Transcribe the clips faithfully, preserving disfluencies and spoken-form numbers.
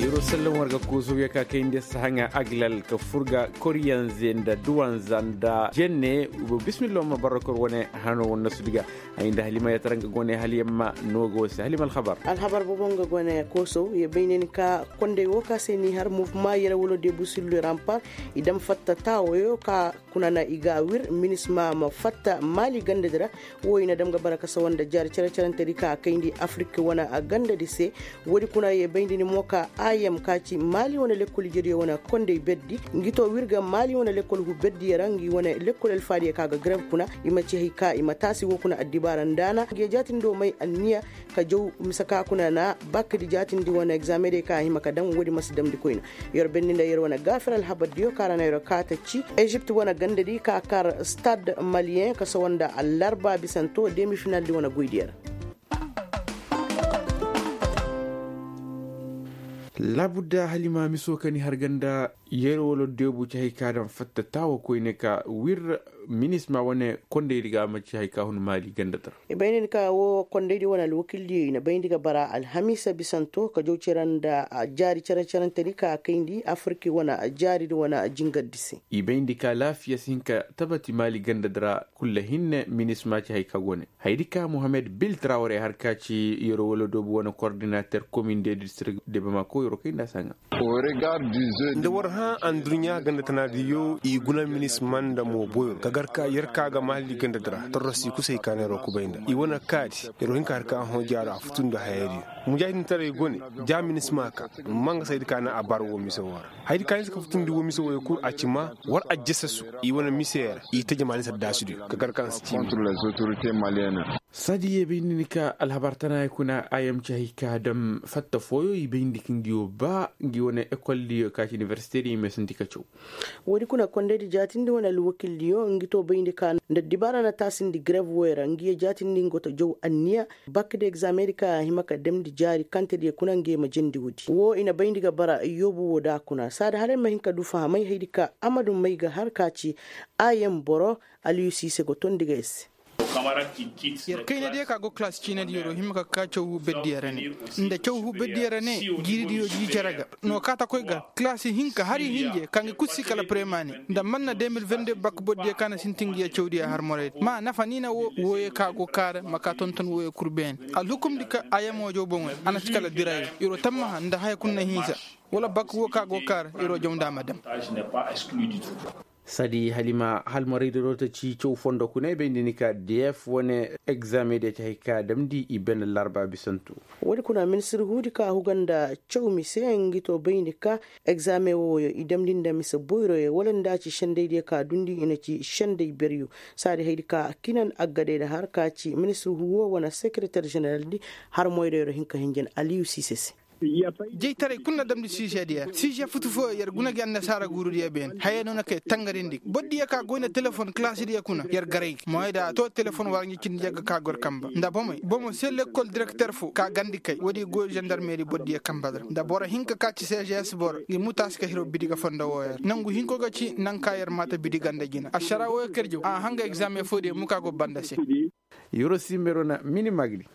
Yeroo sallam war ga kuusu ya ka kayndi sahaŋa aglal ka furga koryanze nda duwanza nda jenne. Bismillah ma barra kor wane hano wane nasu diga. Ay nda halima ya tara nga gone haliyamma no ga wasi halima alhabar. Alhabar bobo nga gone koso ya baynin ka konday wo ka se ni har muvma yere wala de busillu rampar. I dam fatta tawoyo ka kuna na i ga wir minisma ma fatta mali ganda dira. Wo i na dam ga bara ka sawa nda jaari care carante di ka kayndi afiriki wane a ganda di se. Woodi kuna ye bayndi ni mo ka ayam ka ci mali wane lekkol ijediyo wane kondey berdi. Ngi to wirga mali wane lekkol hu berdi yara ngi wane lekkol alfaadiyo ka ga greb kuna. I ma ci hay ka i ma taasi wo kuna addibaara ndaana ngi ye jaatindi wo may anniya ka jaw mise ka kuna na bakadi jaatindi wane egzamedey ka a hima ka dam woodi ma si damndi koyna. Yer benni nda yer wane gaafir alhabardiyo ka ra na yer kaata ci ezipt wane gandadi ka kar stad maliyen ka sawa nda allarba bisanto demi finaldi wane goydiyo ra. Laabudda halima miso ka ni har ganda yer wala deebu ci hay ka daŋ fatta taawa koyne ka wir minisma wane kondaydi ga a ma ci hay ka hun maali ganda dara. I bayndi ni ka wo kondaydi wane alwakildiyo i na bayndi ga bara alhamiisa bisanto ka jaw cere nda jaari cere-cerentedi ka kayndi afirki wane jaaridi wane jingardi se. I bayndi ka laafiya si hin ka tabati maali ganda dara kulla hinne minisma ci hay ka go ne. Haydi ka mohammed bil traore har ka ci yero wala doobu wane kordinater komin de district de bamako yero kay nda saŋa. Nda war hã anduɲɲa ganda tanaadiyo i guna minisma nda mooboyo ka gar ka yer ka ga mahalli ganda dira torrosi kusay ka neero kubay nda i wane kaadi. Yero hin ka har ka hõ jaaro a futu nda hayadiyo mujaahidintaray go ne. Ja minisma ka manga saydi ka na a bar wo mise wo ra. Haydi ka hinsa ka futundi wo mise woyo kul a ci ma war a jesesu i wane mise ra i taji mali saddaasidiyo ka gar ka na si ci. Sadi ye bayndi ni ka alhabar tana ya kuna a yam ci hay ka dam fatta fooyo i bayndi ka ngiyo ba ngi wane ekoldiyo ka ci inibersitediyo i meesanti ka caw. Woodi kuna kondaydi jaatindi wane alwakildiyo ngi to bayndi ka nda dibaara na taasindi greb woyo ra ngi ye jaatindi ngo to jaw anniya. Bakdi egzamedi ka a hima ka damndi jaari kantediyo kuna ngi ye ma jandi woodi wo i na bayndi ga bara yoobu wo da kuna saadi hala ay ma hin ka du fahamay haydi ka amadu may ga har ka ci a yam boro. Aliyu siise go tondi ga ay se. Yer kaynadiyo ka go kalaasi ciinadi yeroo hima ka ka caw hu beddiyo ra ne nda caw hu beddiyo ra ne. Jiiridiyo jii cere ga no kaata koy ga kalaasi hinka hari hinje ka ngi kul si kala premani nda man na de mil vende bak boddiyo ka na sinti ngi ye cawdiyo har moraydi ma nafa ni na wo wooyo ka go kaara ma ka tonton wooyo kul beene. Alhukumdi ka a yamo jaw boŋoy a na si kala dirayo yeroo tammaha nda haya kul na hinsa wala bak woo ka go kaara yeroo jaw nda a ma dam. Sadi halima halmaraydi roota ci caw fondo kuna i bayndi ni ka df wane egzamediyo ci hay ka damndi i bene larba bisantu. Woodi kuna ministir huudi ka huga nda caw mise ngi to bayndi ka egzame wooyo i damndi nda mise boyroyo wala nda ci sendaydiyo ka dundi i na ci senday beryo. Saadi haydi ka kinan aggadayda har ka ci ministir huwo wane sekereter jeneraldi har moyda yero hin ka hinjan aliyu siise se. Jeytaray kul na damndi siizediyo ra siize futu fooyo yer guna gi annasaara guurudiyo beene haya no na kay tangarindi bordiyo ka goy nda telefon kalaasidiyo kuna yer garay ga moyda to telefon wara ngi cindi yagga ka gor kamba nda bomey bomo se lekkol direkter fo ka gandi kay woodi goy zandarmeri bordiyo kamba dara nda boro hinka ka ci cgs boro ngi mutaasi ka hiro bidiga fondo wooyo ra nangu hinko ga ci naŋ ka yer maata bidiga nda jina ašara wooyo kerjo a hanga egzame foodiyo muka go banda se. Yoro simbero na mini magdi.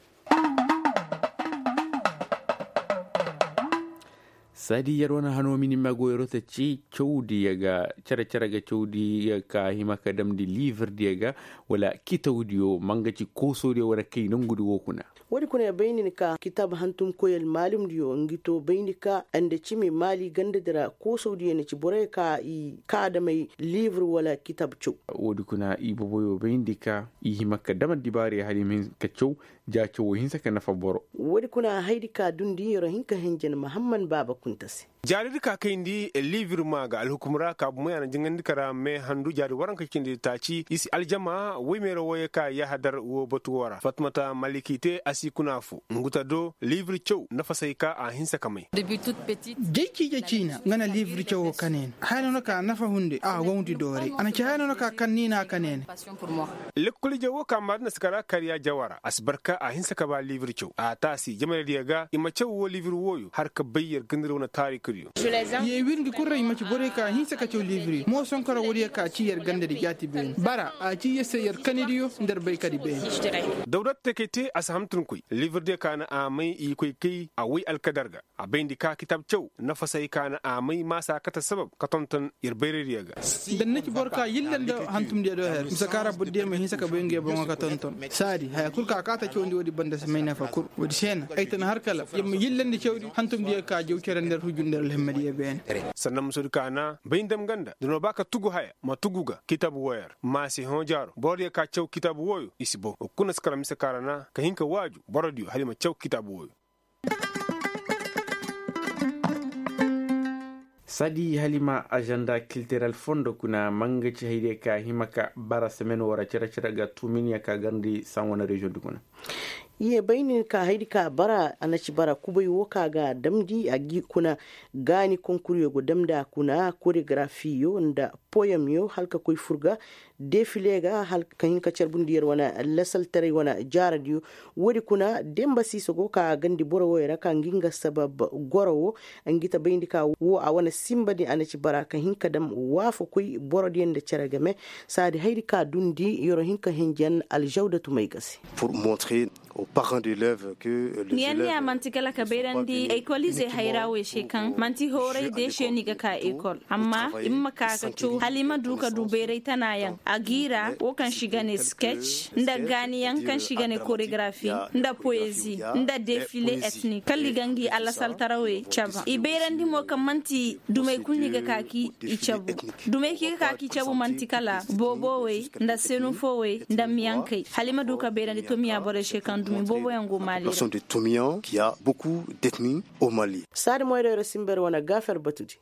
Sadi yer wane hano mini mago yero ta ci cawdiya ga care care ga cawdiya ka hima ka damndi liivirdiya ga wala kitawdiyo manga ci koosodiyo wane kay nangudi wo kuna. Woodi kuna ya bayndi ni ka kitaab hantum koyal maalumdiyo ngi to bayndi ka nda cimi maali gandadi ra koosodiyo na ci boroyo ka i kaadamay liivir wala kitaab caw. Woodi kuna i boboyo bayndi ka i hima ka dam addibaariyo hala i ma hin ka caw ja cawo hinsa ka nafa boro. Woodi kuna haydi ka dundi yero hin ka henjen mahamman baaba kunta se. Jaaridi ka kayndi liibir maa ga alhukum ra ka bumey a na jingandi kara mee handu jaari waranka cindi taaci i si aljama woy meera wooyo ka yahadar woo batu woo ra fatmata maliki te a si kuna fo ngu ta do liibir caw nafa say ka a hinsa ka may. Jay ciije ciina nga na liibir cawo kaneene haya no na ka nafa hunde a wawndi doore a na ci haya no na ka kaŋ ni na a kaneene. Lekkol ije woo ka maadina si kara kariya jawara a si barka a hinsa ka ba liibir caw a taasi jamanaydiyo ga i ma caw woo liibir wooyo har ka bay yer gandari wane taarikudi. Ye wirndi kul ra i ma ci borey ka hinsa ka caw livri mo sonkora woodiyo ka ci yer gandadi jaati beeni bara a ci yer se yer kanidiyo nda yer bay kadi beeni. Dawdat te kay te a si hamtunkoy livridiyo ka na a may i koy kay a way alkadar ga. A bayndi ka kitaab caw nafasey ka na a may maasa kate sabab ka tonton yer bayraydiyo ga. Nda ni na ci boro ka yillandi hantumdiyo do her mise ka ra borodiyo ma hinsa ka bay nguyo boŋo ka tonton saadi haya kul ka kaata cawndi woodi banda si may nafa kul. Woodi se na ay tan har kala yer ma yillandi cawdi hantumdiyo ka jaw cere nda yer hujju nda yer alhimmadiyo beene. Sannan musodi ka na bay ndam ganda da no ba ka tugu haya ma tugu ga kitabu wooyo ra ma si hõ jaaro borodiyo ka caw kitabu wooyo i si boŋ wa kuna si kala mise ka ra na ka hin ka waaju borodiyo hala i ma caw kitabu wooyo. Sadi halima agenda kiltiral fondo kuna manga ci haydiya ka hima ka bara semen wara cere cere ga tuminiya ka garndi san wane reziyoŋ di kuna. Ye bay nin ka haydi ka bara a na ci bara kubay wo ka ga damndi a gi kuna gaani konkuriyo go damndi a kuna koregrafiyo nda poyamyo hala ka koy fur ga defile ga hala ka hin ka carbundi yer wane lasaltaray wane jaaradiyo. Woodi kuna demba siiso go ka gandi boro wooyo ra ka ngi nga sabab goro wo. Ngi ta bayndi ka wo a wane simbadi a na ci bara ka hin ka dam waafakoy borodiyo nda cere game. Saadi haydi ka dundi yer wo hin ka hinjan aljawdatu may ga se. Pour montrer aux parents d'élèves que niyanniya man'ti kala ka bayrandi ekolize hayra wey se kaŋ man'ti hooray deesiyo ni ga ka ekol amma i ma ma ka ka caw hala i ma du ka du bayray tanayaŋ a giira wo kaŋ si ga ne sketch nda gaaniyaŋ kaŋ si ga ne koregrafi nda poezi nda defile etnik kala i ga ngi alasaltarawey caba i bayrandi mo kaŋ man'ti dumey kulu ni ga ka ki i cabu dumey ki ga ka ki cabu man'ti kala boobowey nda senufowey nda miyankey hala i ma du ka bayrandi tomiya borey se kaŋ dumi booboyaŋ go maali ra. Saadi moyray ra simber wane gaafer batudi.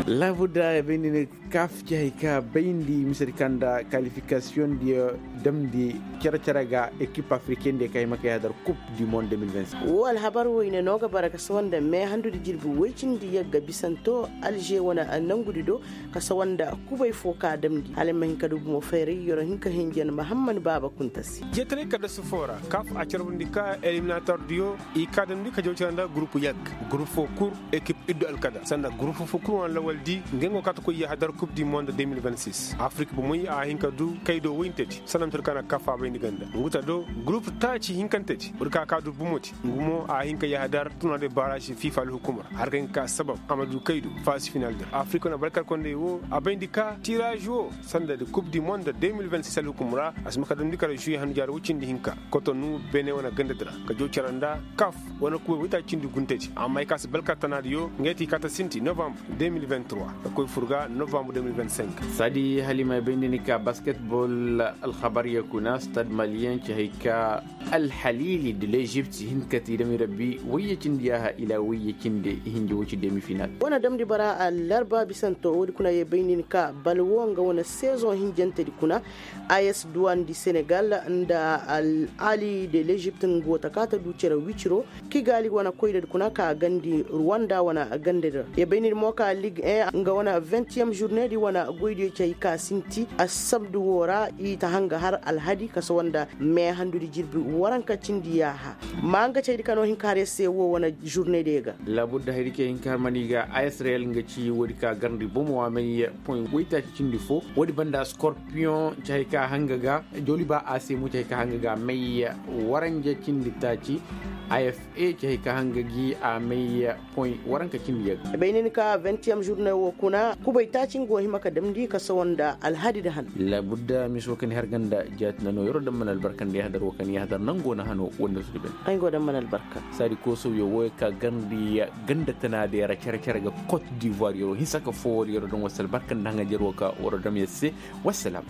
Laabuda ya bayndi ne kaaf ci hay ka bayndi misedi kaŋ nda kalifikasiyoŋ diyo damndi cere-cere ga ekip afriken diyo ka hima ka yahadar kup du monde de mil vingt. Wo alhabar woyne no ga bara ka sawa nda me handudi jirbi woy cindi yagga bisanto alže wane nangudi do ka sawa nda kubay fo ka damndi hala ay ma hin ka du bumo fayray yoro hin ka hinjan mahamman baaba kunta se. Jeetaray kaddasu fo ra kaaf a carbundi ka eliminator diyo i ka damndi ka jaw cere nda gurupu yagga gurupu fo kul ekip iddu alkadar sanda gurupu fo kul wane lawal di ngey go kaata koy yahadar kup du monde de mil vingt six afrik bomey a hin ka du kaydo woyintedi sanda mate kaŋ na kaaf a bayndi ganda ngu ta do gurupu taaci hinkantedi woodi ka ka du bomodi ngu mo a hin ka yahadar turnaa de baaraasi fifa alhukumar har ka hin ka ka sabab a ma du kaydo faasi final dir afrik wane balkar kondey wo a bayndi ka tiiraazi wo sanda de kup du monde de mil vingt six alhukumar a si ma ka damndi kala zuye handu jaari woy cindi hinka kotonu bene wane gandadi ra ka jaw cere nda kaaf wane kuwey woytaaci cindi guntedi amma ay ka si balkar tanaadiyo ngey ti kaata sinti novambre de mil vingt trois ka koy fur ga novambre de mil vingt cinq. Saadi halima ay bay nda ni ka basketbol alhabar ya kuna stade maliyen ci hay ka alhaliili de lezipt hin ka ti dami rabbi wayye cindi yaaha ila wayye cindi hinja wo ci demi final. Wane damndi bara alarba bisanto woodi kuna ye bay nda ni ka balwo nga wane sezoŋ hinjantedi kuna. Ayes duwan di senegal nda ali de lezipt nga go ta ka ta du cere wiciro kigali wane koyra di kuna ka gandi ruwanda wane ganda di ra ya bay ni di mo ka lig en nga wane vingtiyem zurne di wane goydiyo ci hay ka sinti assabdu wo ra i ta hanga har alhadi kasa wanda me handu di jirbi waranka cindi yaaha. Ma nga cay di kano hinka har ya se wo wane zurne di ga. Labudda hay di ke hinka har mani ga a israel nga ci wo di ka garndi bomo wa may poy waytaaci cindi fo wo di banda scorpion ci hay ka hanga ga joli ba a se mo ci hay ka hanga ga may waranja cindi taaci. Af e ci hay ka hanga gi a may poy waranka cindi yagga. Bay ni ni ka vingtiyem zurne wo kuna kubay taaci nga go hima ka damndi ka sawa nda alhadi da han. Labudda miso ka ni har ganda jaati na no yaro damman albarka nda yahadar wo ka ni yahadar nango na hano wanda su di bay. Ay go damman albarka. Saadi koosawyo wo ka garndi ganda tana da yara care care ga cote d'ivoire yaro hinsa ka fo wari yaro don wasa albarka nda hanga jaro ka waro dam ya se. Wassalam.